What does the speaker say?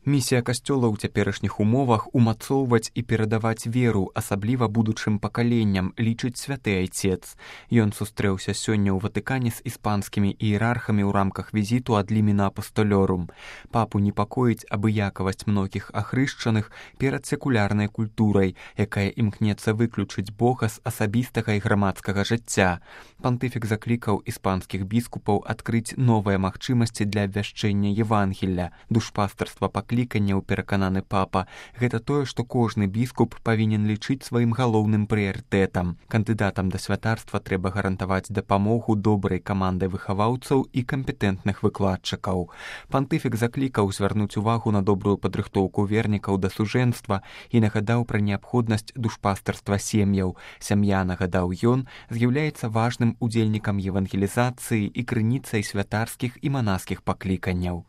Місія касцёла ў цяперашніх умовах умацоўваць і перадаваць веру, асабліва будучым пакаленням, лічыць святы айцец. Ён сустрэўся сёння ў Ватыкане з іспанскімі іерархамі ў рамках візіту ад лімена апостолёрум. Папу непакоіць абыякавасць многіх ахрышчаных перад секулярнай культурай, якая імкнецца выключыць Бога з асабістага і грамадскага жыцця. Пантыфік заклікаў іспанскіх біскупаў адкрыць новыя магчымасці для абвяшчэння Евангелля. Душпастарства пакліканняў, перакананы папа, гэта тое, што кожны біскуп павінен лічыць сваім галоўным прыярытэтам. Кандыдатам да святарства трэба гарантаваць дапамогу добрай камандай выхаваўцаў і кампетэнтных выкладчыкаў. Пантыфік заклікаў звярнуць увагу на добрую падрыхтоўку вернікаў да сужэнства і нагадаў пра неабходнасць душпастарства сем'яў. Сям'я, нагадаў ён, з'яўляецца важным удзельнікам евангелізацыі і крыніцай святарскіх і манаскіх пакліканняў.